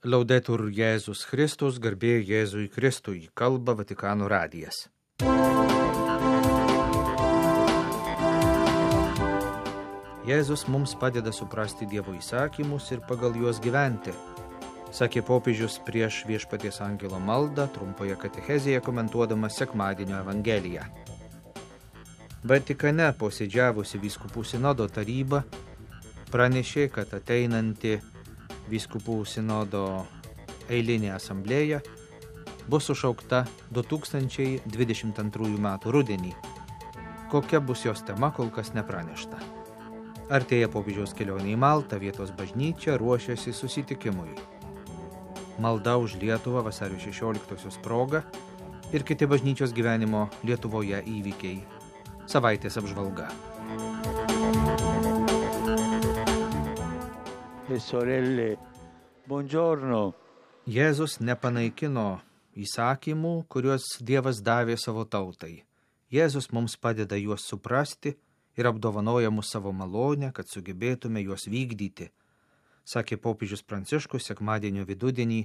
Laudetur Jėzus Kristus, garbė Jėzui Kristui, kalba Vatikano radijas. Jėzus mums padeda suprasti Dievo įsakymus ir pagal juos gyventi, sakė popiežius prieš Viešpaties angelo maldą trumpoje katechezėje komentuodamas sekmadienio evangeliją. Vatikane posėdžiavusi vyskupų sinodo taryba pranešė, kad ateinanti vyskupų sinodo eilinė asamblėja bus sušaukta 2022 metų rudenį. Kokia bus jos tema, kol kas nepranešta. Artėja popiežiaus kelionė į Maltą, vietos bažnyčia ruošiasi susitikimui. Malda už Lietuvą vasario 16-osios proga ir kiti bažnyčios gyvenimo Lietuvoje įvykiai. Savaitės apžvalga. Sorelle, buongiorno. Jėzus nepanaikino įsakymų, kuriuos Dievas davė savo tautai. Jėzus mums padeda juos suprasti ir apdovanoja mus savo malonę, kad sugebėtume juos vykdyti, sakė popiežius Pranciškus sekmadienio vidudienį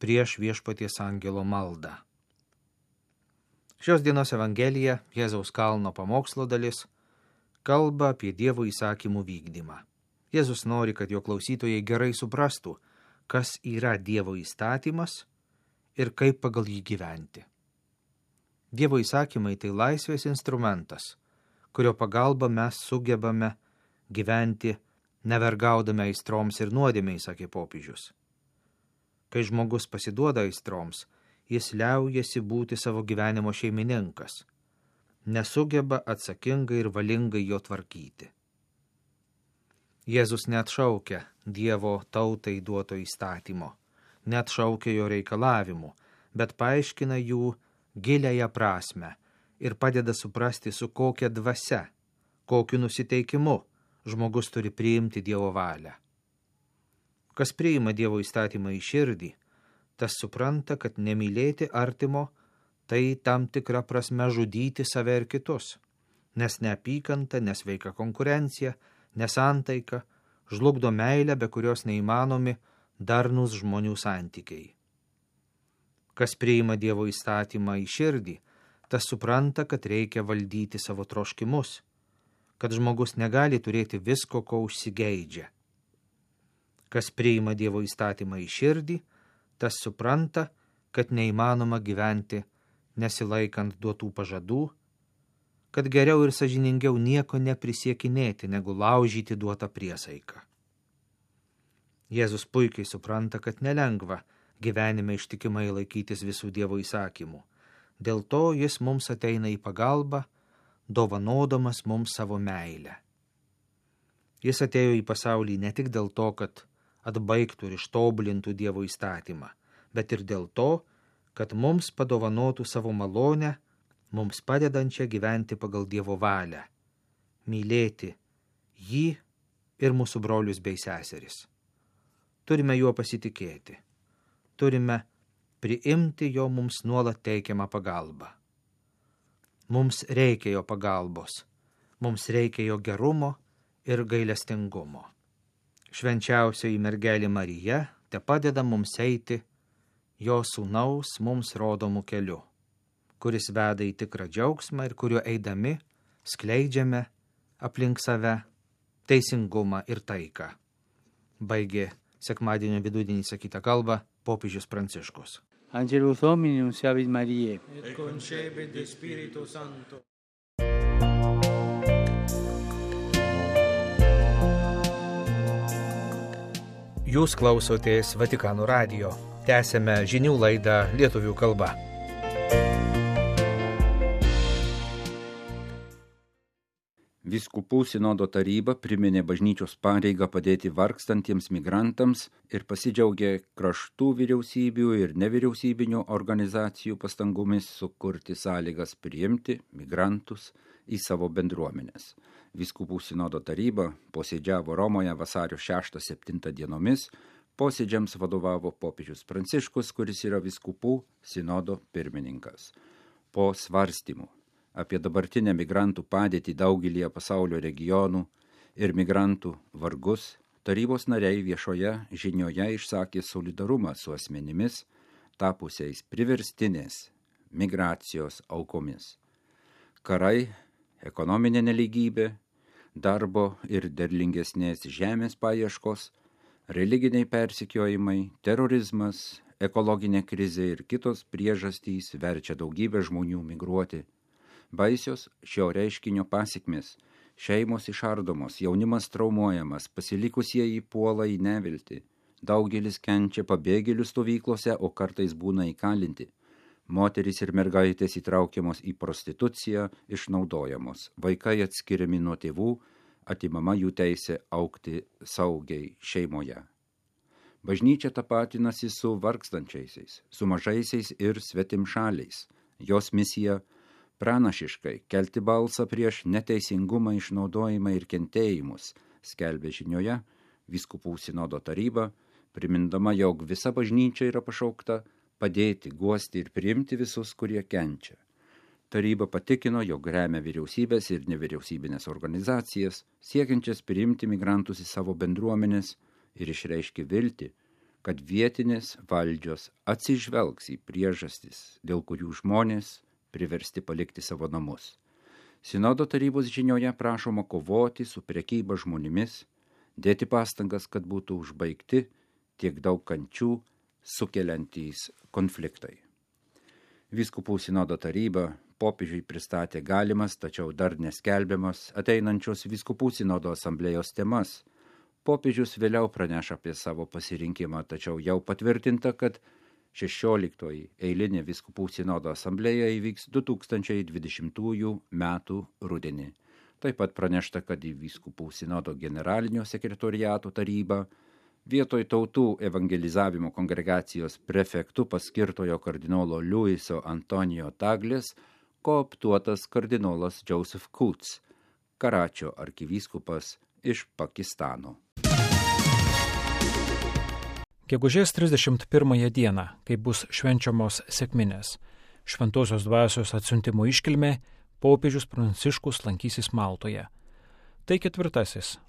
prieš Viešpaties angelo maldą. Šios dienos evangelija, Jėzaus kalno pamokslo dalis, kalba apie Dievo įsakymų vykdymą. Jėzus nori, kad jo klausytojai gerai suprastų, kas yra Dievo įstatymas ir kaip pagal jį gyventi. Dievo įsakymai tai laisvės instrumentas, kurio pagalba mes sugebame gyventi nevergaudami aistroms ir nuodėmei, sakė popiežius. Kai žmogus pasiduoda aistroms, jis liaujasi būti savo gyvenimo šeimininkas, nesugeba atsakingai ir valingai jo tvarkyti. Jėzus neatšaukia Dievo tautai duoto įstatymo, neatšaukia jo reikalavimų, bet paaiškina jų giliąją prasmę ir padeda suprasti, su kokia dvasia, kokiu nusiteikimu žmogus turi priimti Dievo valią. Kas priima Dievo įstatymą į širdį, tas supranta, kad nemylėti artimo, tai tam tikra prasme žudyti save ir kitus, nes neapykanta, nesveika konkurencija, nesantaika žlugdo meilę, be kurios neįmanomi darnūs žmonių santykiai. Kas priima Dievo įstatymą į širdį, tas supranta, kad reikia valdyti savo troškimus, kad žmogus negali turėti visko, ko užsigeidžia. Kas priima Dievo įstatymą į širdį, tas supranta, kad neįmanoma gyventi nesilaikant duotų pažadų, kad geriau ir sąžiningiau nieko neprisiekinėti, negu laužyti duotą priesaiką. Jėzus puikiai supranta, kad nelengva gyvenime ištikimai laikytis visų Dievo įsakymų. Dėl to jis mums ateina į pagalbą, dovanodamas mums savo meilę. Jis atėjo į pasaulį ne tik dėl to, kad atbaigtų ir ištobulintų Dievo įstatymą, bet ir dėl to, kad mums padovanotų savo malonę, mums padedančią gyventi pagal Dievo valią, mylėti jį ir mūsų brolius bei seseris. Turime juo pasitikėti, turime priimti jo mums nuolat teikiamą pagalbą. Mums reikia jo pagalbos, mums reikia jo gerumo ir gailestingumo. Švenčiausioji mergelė Marija te padeda mums eiti jo sūnaus mums rodomų keliu, kuris veda į tikrą džiaugsmą ir kuriuo eidami skleidžiame aplink save teisingumą ir taiką. Baigė sekmadienio vidudienį sakytą kalbą popiežius Pranciškus. Angelus Domini nunciavit Mariae. Et concepit de Spiritu Sancto. Jūs klausotės Vatikano radijo. Tęsėme žinių laidą lietuvių kalba. Vyskupų sinodo taryba priminė bažnyčios pareigą padėti vargstantiems migrantams ir pasidžiaugė kraštų vyriausybių ir nevyriausybinių organizacijų pastangomis sukurti sąlygas priimti migrantus į savo bendruomenes. Vyskupų sinodo taryba posėdžiavo Romoje vasario 6-7 dienomis, posėdžiams vadovavo popiežius Pranciškus, kuris yra vyskupų sinodo pirmininkas. Po svarstymų apie dabartinę migrantų padėtį daugelyje pasaulio regionų ir migrantų vargus, tarybos nariai viešoje žinioje išsakė solidarumą su asmenimis, tapusiais priverstinės migracijos aukomis. Karai, ekonominė nelygybė, darbo ir derlingesnės žemės paieškos, religiniai persekiojimai, terorizmas, ekologinė krizė ir kitos priežastys verčia daugybę žmonių migruoti. Baisios šio reiškinio pasekmės: šeimos išardomos, jaunimas traumuojamas, pasilikusieji puola į neviltį, daugelis kenčia pabėgėlių stovyklose, o kartais būna įkalinti. Moterys ir mergaitės įtraukiamos į prostituciją, išnaudojamos, vaikai atskiriami nuo tėvų, atimama jų teisė augti saugiai šeimoje. Bažnyčia tapatinasi su vargstančiaisiais, su mažaisiais ir svetimšaliais. Jos misija – pranašiškai kelti balsą prieš neteisingumą, išnaudojimą ir kentėjimus, skelbė žinioje vyskupų sinodo taryba, primindama, jog visa bažnyčia yra pašaukta padėti, guosti ir priimti visus, kurie kenčia. Taryba patikino, jog remia vyriausybės ir nevyriausybinės organizacijas, siekiančias priimti migrantus į savo bendruomenės, ir išreiškė viltį, kad vietinės valdžios atsižvelgs į priežastis, dėl kurių žmonės priversti palikti savo namus. Sinodo tarybos žinioje prašoma kovoti su prekyba žmonėmis, dėti pastangas, kad būtų užbaigti tiek daug kančių sukeliantys konfliktai. Vyskupų sinodo taryba popiežiui pristatė galimas, tačiau dar neskelbiamas ateinančios vyskupų sinodo asamblėjos temas. Popiežius vėliau praneša apie savo pasirinkimą, tačiau jau patvirtinta, kad 16 eilinė vyskupų sinodo asamblėja įvyks 2020 metų rudenį. Taip pat pranešta, kad į vyskupų sinodo generalinio sekretoriato tarybą vietoj tautų evangelizavimo kongregacijos prefektu paskirtojo kardinolo Luiso Antonijo Taglės kooptuotas kardinolas Joseph Coots, Karačio arkivyskupas iš Pakistano. Gegužės 31 dieną, kai bus švenčiamos sekminės, Šventosios dvasios atsiuntimo iškilmė, popiežius Pranciškus lankysis Maltoje. Tai 4.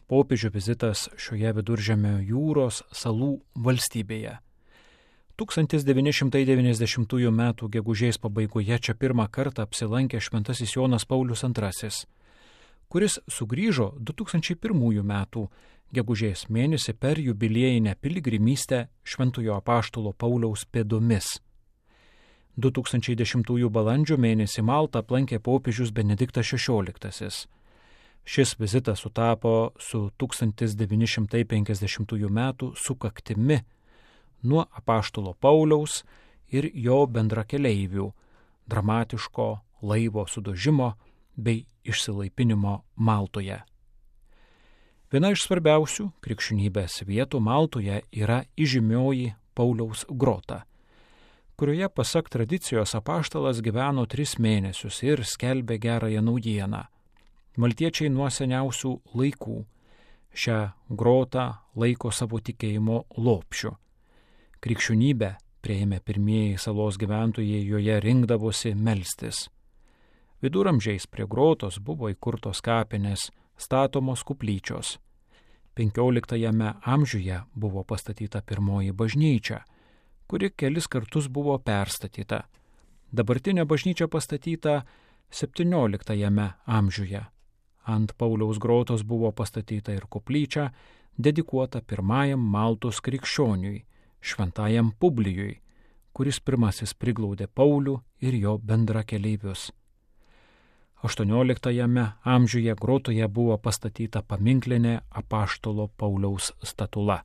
popiežių vizitas šioje Viduržemio jūros salų valstybėje. 1990 m. gegužės pabaigoje čia pirmą kartą apsilankė šventasis Jonas Paulius II, kuris sugrįžo 2001 m. gegužės mėnesį per jubiliejinę piligrimystę Šventojo apaštalo Pauliaus pėdomis. 2010 balandžio mėnesį Maltą aplankė popiežius Benediktas XVI. Šis vizitas sutapo su 1950 m. sukaktimi nuo apaštalo Pauliaus ir jo bendrakeleivių dramatiško laivo sudužimo bei išsilaipinimo Maltoje. Viena iš svarbiausių krikščionybės vietų Maltoje yra įžymioji Pauliaus grota, kurioje pasak tradicijos apaštalas gyveno 3 mėnesius ir skelbė gerąją naujieną. Maltiečiai nuo seniausių laikų šią grotą laiko savo tikėjimo lopšiu. Krikščionybę priėmė pirmieji salos gyventojai, joje rinkdavosi melstis. Viduramžiais prie grotos buvo įkurtos kapinės, statomos kuplyčios. 15 amžiuje buvo pastatyta pirmoji bažnyčia, kuri kelis kartus buvo perstatyta. Dabartinė bažnyčia pastatyta 17 amžiuje. Ant Pauliaus grotos buvo pastatyta ir koplyčia, dedikuota pirmajam Maltos krikščioniui, šventajam Publijui, kuris pirmasis priglaudė Paulių ir jo bendrakeleivius. 18 amžiuje grotoje buvo pastatyta paminklinė apaštalo Pauliaus statula.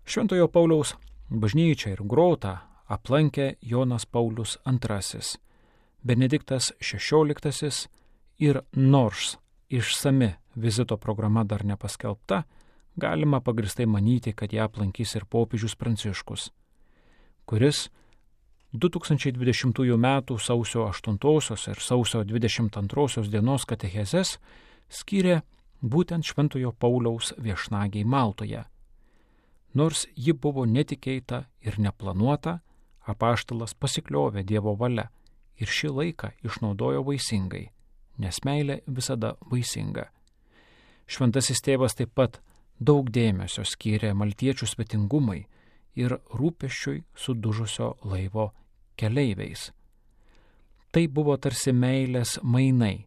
Šventojo Pauliaus bažnyčią ir grotą aplankė Jonas Paulius II, Benediktas XVI ir nors išsami vizito programa dar nepaskelbta, galima pagristai manyti, kad ją aplankys ir popiežius Pranciškus, kuris 2020 m. sausio 8 ir sausio 22 dienos katechezes skyrė būtent Šventojo Pauliaus viešnagiai Maltoje. Nors ji buvo netikėta ir neplanuota, apaštalas pasikliovė Dievo valia ir šį laiką išnaudojo vaisingai, nes meilė visada vaisinga. Šventasis tėvas taip pat daug dėmesio skyrė maltiečių svetingumai ir rūpesčiui sudužusio laivo keleiviais. Tai buvo tarsi meilės mainai.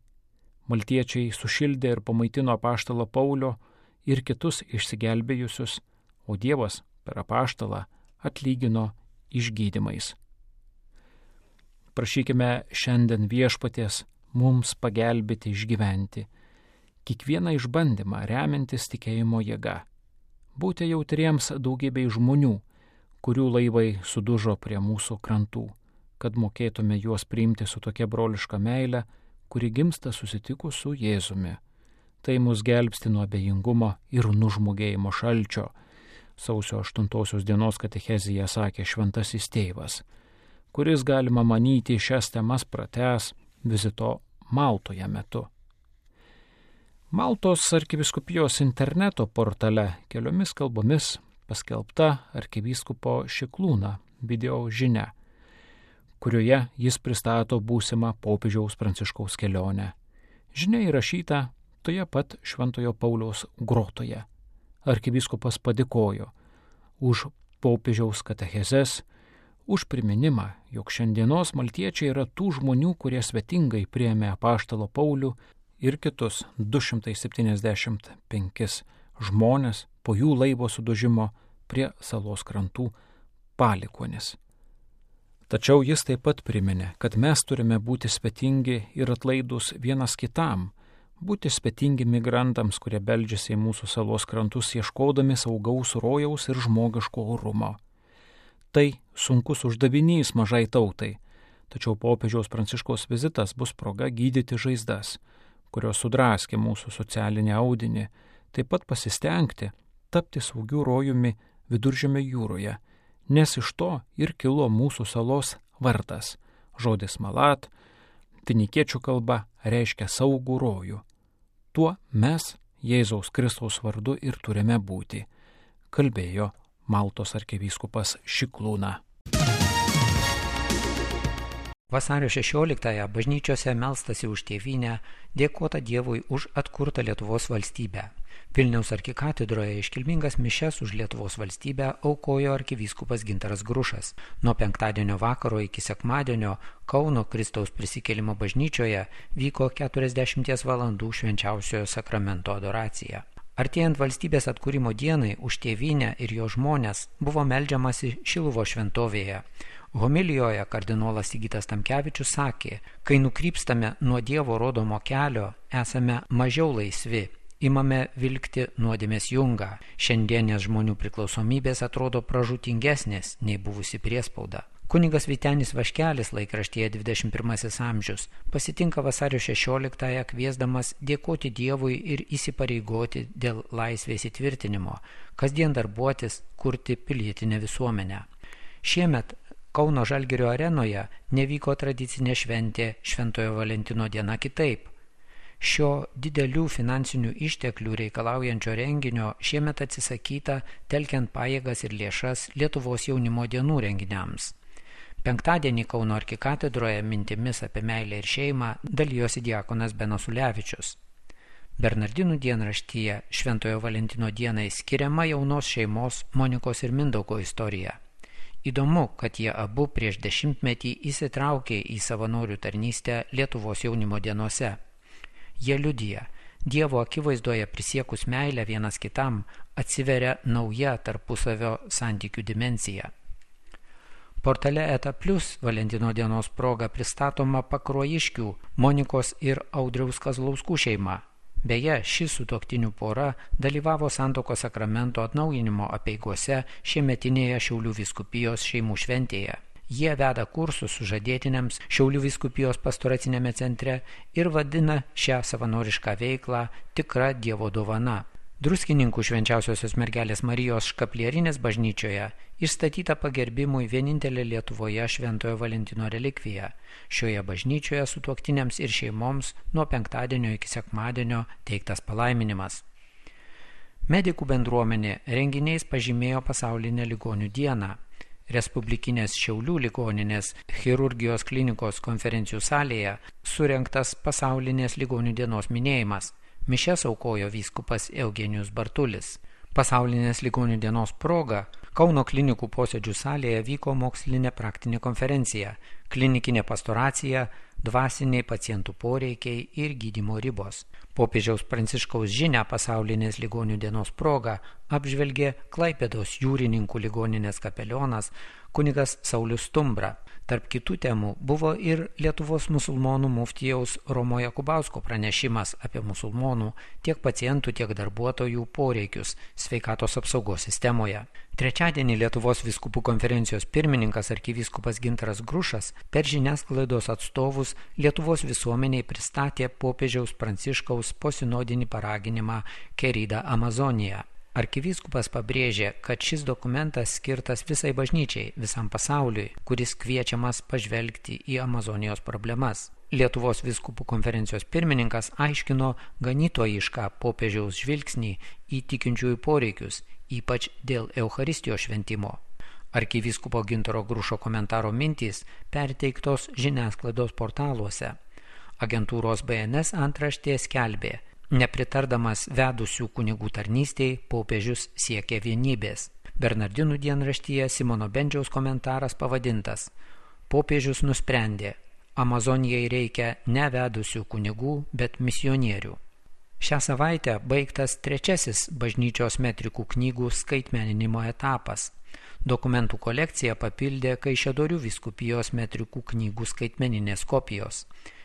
Maltiečiai sušildė ir pamaitino apaštalą Paulio ir kitus išsigelbėjusius, o Dievas per apaštalą atlygino išgydymais. Prašykime šiandien Viešpaties mums pagelbėti išgyventi kiekvieną išbandymą remiantis tikėjimo jėga. Būti jautriems daugybei žmonių, kurių laivai sudužo prie mūsų krantų, kad mokėtume juos priimti su tokia broliška meile, kuri gimsta susitikus su Jėzumi. Tai mus gelbsti nuo abejingumo ir nužmogėjimo šalčio. Sausio 8 dienos katechezija sakė šventasis tėvas, kuris galima manyti šias temas pratęs vizito Maltoje metu. Maltos arkivyskupijos interneto portale keliomis kalbomis paskelbta arkivyskupo Šiklūno video žinia, kurioje jis pristato būsimą popiežiaus Pranciškaus kelionę. Žinia įrašyta toje pat Šventojo Pauliaus grotoje. Arkivyskupas padėkojo už popiežiaus katechezes, už priminimą, jog šiandienos maltiečiai yra tų žmonių, kurie svetingai priėmė apaštalo Paulių ir kitus 275 žmonės po jų laivo sudužimo prie salos krantų palikuonis. Tačiau jis taip pat priminė, kad mes turime būti svetingi ir atlaidus vienas kitam, būti svetingi migrantams, kurie beldžiasi į mūsų salos krantus ieškodami saugaus rojaus ir žmogiško orumo. Tai sunkus uždavinys mažai tautai, tačiau popiežiaus Pranciškaus vizitas bus proga gydyti žaizdas, kurios sudraskė mūsų socialinį audinį, taip pat pasistengti tapti saugiu rojumi Viduržemio jūroje, nes iš to ir kilo mūsų salos vardas. Žodis malat, finikiečių kalba, reiškia saugų rojų. Tuo mes Jėzaus Kristaus vardu ir turime būti, kalbėjo Maltos arkivyskupas Šiklūna. Vasario 16-ąją bažnyčiose melstasi už tėvynę, dėkota Dievui už atkurtą Lietuvos valstybę. Vilniaus arkikatedroje iškilmingas mišias už Lietuvos valstybę aukojo arkivyskupas Gintaras Grušas. Nuo penktadienio vakaro iki sekmadienio Kauno Kristaus prisikėlimo bažnyčioje vyko 40 valandų švenčiausiojo sakramento adoracija. Artėjant valstybės atkūrimo dienai už tėvynę ir jo žmones buvo meldžiamasi Šiluvos šventovėje. Homilijoje kardinolas Sigitas Tamkevičius sakė, kai nukrypstame nuo Dievo rodomo kelio, esame mažiau laisvi, imame vilkti nuodėmės jungą. Šiandienės žmonių priklausomybės atrodo pražūtingesnės nei buvusi priespauda. Kunigas Vytenis Vaškelis laikraštyje 21 amžius pasitinka vasario 16-ąją kviesdamas dėkoti Dievui ir įsipareigoti dėl laisvės įtvirtinimo, kasdien darbuotis, kurti pilietinę visuomenę. Šiemet Kauno Žalgirio arenoje nevyko tradicinė šventė Šventojo Valentino diena kitaip. Šio didelių finansinių išteklių reikalaujančio renginio šiemet atsisakyta, telkiant pajėgas ir lėšas Lietuvos jaunimo dienų renginiams. Penktadienį Kauno arkikatedroje mintimis apie meilę ir šeimą dalijosi diakonas Benas Ulevičius. Bernardinų dienraštyje Šventojo Valentino dienai skiriama jaunos šeimos Monikos ir Mindaugo istorija. Įdomu, kad jie abu prieš 10-metį įsitraukė į savanorių tarnystę Lietuvos jaunimo dienose. Jie liudija, Dievo akivaizdoje prisiekus meilę vienas kitam atsiveria nauja tarpusavio santykių dimensija. Portale Eta Plus Valentino dienos proga pristatoma Pakruojiškių Monikos ir Audriaus Kazlauskų šeima. Beje, ši sutuoktinių pora dalyvavo santuokos sakramento atnaujinimo apeigose šiemetinėje Šiaulių vyskupijos šeimų šventėje. Jie veda kursus sužadėtiniams Šiaulių vyskupijos pastoracinėme centre ir vadina šią savanorišką veiklą tikra Dievo dovana. Druskininkų Švenčiausiosios mergelės Marijos Škaplierinės bažnyčioje išstatyta pagerbimui vienintelė Lietuvoje Šventojo Valentino relikvija. Šioje bažnyčioje sutuoktiniams ir šeimoms nuo penktadienio iki sekmadienio teiktas palaiminimas. Medikų bendruomenė renginiais pažymėjo pasaulinę ligonių dieną. Respublikinės Šiaulių ligoninės chirurgijos klinikos konferencijų salėje surengtas pasaulinės ligonių dienos minėjimas. Mišias aukojo vyskupas Eugenijus Bartulis. Pasaulinės ligonių dienos proga Kauno klinikų posėdžių salėje vyko mokslinė praktinė konferencija Klinikinė pastoracija, dvasiniai pacientų poreikiai ir gydymo ribos. Popiežiaus Pranciškaus žinią pasaulinės ligonių dienos proga apžvelgė Klaipėdos jūrininkų ligoninės kapelionas kunigas Saulius Stumbra. Tarp kitų temų buvo ir Lietuvos musulmonų muftijaus Romo Jakubausko pranešimas apie musulmonų tiek pacientų, tiek darbuotojų poreikius sveikatos apsaugos sistemoje. Trečiadienį Lietuvos vyskupų konferencijos pirmininkas arkivyskupas Gintaras Grušas per žiniasklaidos atstovus Lietuvos visuomeniai pristatė popiežiaus Pranciškaus posinodinį paraginimą Querida Amazonija. Arkivyskupas pabrėžė, kad šis dokumentas skirtas visai bažnyčiai, visam pasauliui, kuris kviečiamas pažvelgti į Amazonijos problemas. Lietuvos vyskupų konferencijos pirmininkas aiškino ganytojišką popiežiaus žvilgsnį į tikinčiųjų poreikius, ypač dėl Eucharistijos šventimo. Arkivyskupo Gintaro Grušo komentaro mintys perteiktos žiniasklaidos portaluose. Agentūros BNS antraštė skelbė: nepritardamas vedusių kunigų tarnystei, popiežius siekė vienybės. Bernardinų dienraštyje Simono Bendžiaus komentaras pavadintas: popiežius nusprendė, Amazonijai reikia ne vedusių kunigų, bet misionierių. Šią savaitę baigtas trečiasis bažnyčios metrikų knygų skaitmeninimo etapas. Dokumentų kolekciją papildė Kaišiadorių vyskupijos metrikų knygų skaitmeninės kopijos.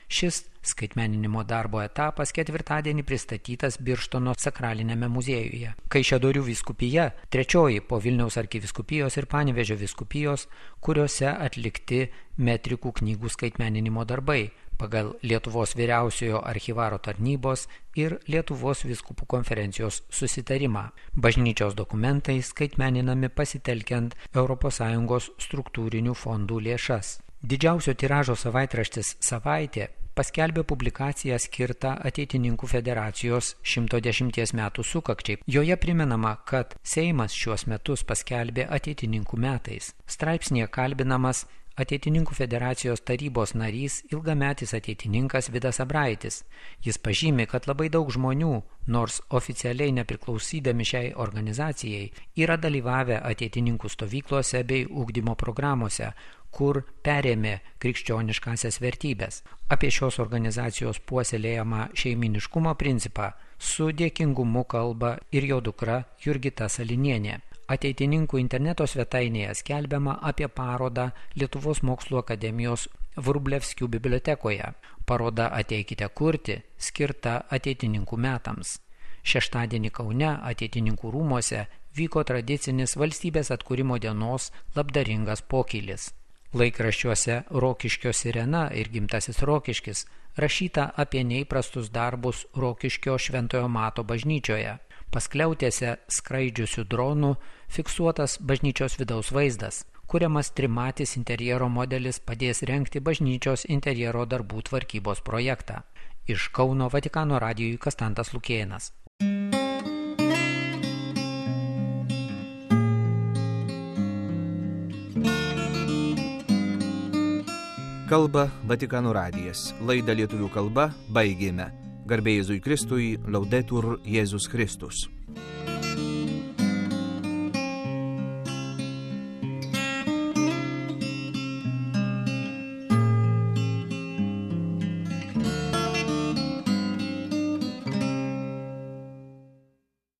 Šis skaitmeninimo darbo etapas ketvirtadienį pristatytas Birštono sakralinėme muziejuje. Kaišiadorių vyskupija trečioji po Vilniaus arkivyskupijos ir Panevėžio vyskupijos, kuriuose atlikti metrikų knygų skaitmeninimo darbai pagal Lietuvos vyriausiojo archyvaro tarnybos ir Lietuvos vyskupų konferencijos susitarimą. Bažnyčios dokumentai skaitmeninami pasitelkiant ES struktūrinių fondų lėšas. Didžiausio tiražo savaitraštis Savaitė paskelbė publikaciją skirtą Ateitininkų federacijos 110 metų sukakčiai. Joje primenama, kad Seimas šiuos metus paskelbė Ateitininkų metais. Straipsnėje kalbinamas Ateitininkų federacijos tarybos narys, ilgametis ateitininkas Vidas Abraitis. Jis pažymi, kad labai daug žmonių, nors oficialiai nepriklausydami šiai organizacijai, yra dalyvavę ateitininkų stovyklose bei ugdymo programuose, kur perėmė krikščioniškasias vertybės. Apie šios organizacijos puoselėjamą šeiminiškumo principą su dėkingumu kalba ir jo dukra Jurgita Salinienė. Ateitininkų interneto svetainėje skelbiama apie parodą Lietuvos mokslų akademijos Vrublevskių bibliotekoje. Paroda Ateikite kurti skirta ateitininkų metams. Šeštadienį Kaune Ateitininkų rūmuose vyko tradicinis valstybės atkūrimo dienos labdaringas pokylis. Laikraščiuose Rokiškio Sirena ir Gimtasis Rokiškis rašyta apie neįprastus darbus Rokiškio Šventojo Mato bažnyčioje. Paskliautėse skraidžiusių dronų fiksuotas bažnyčios vidaus vaizdas. Kuriamas trimatis interjero modelis padės rengti bažnyčios interjero darbų tvarkybos projektą. Iš Kauno Vatikano radijui Kastantas Lukėnas. Kalba Vatikano radijas. Laidą lietuvių kalba baigėme. Garbė Jėzui Kristui, Laudetur Jėzus Kristus.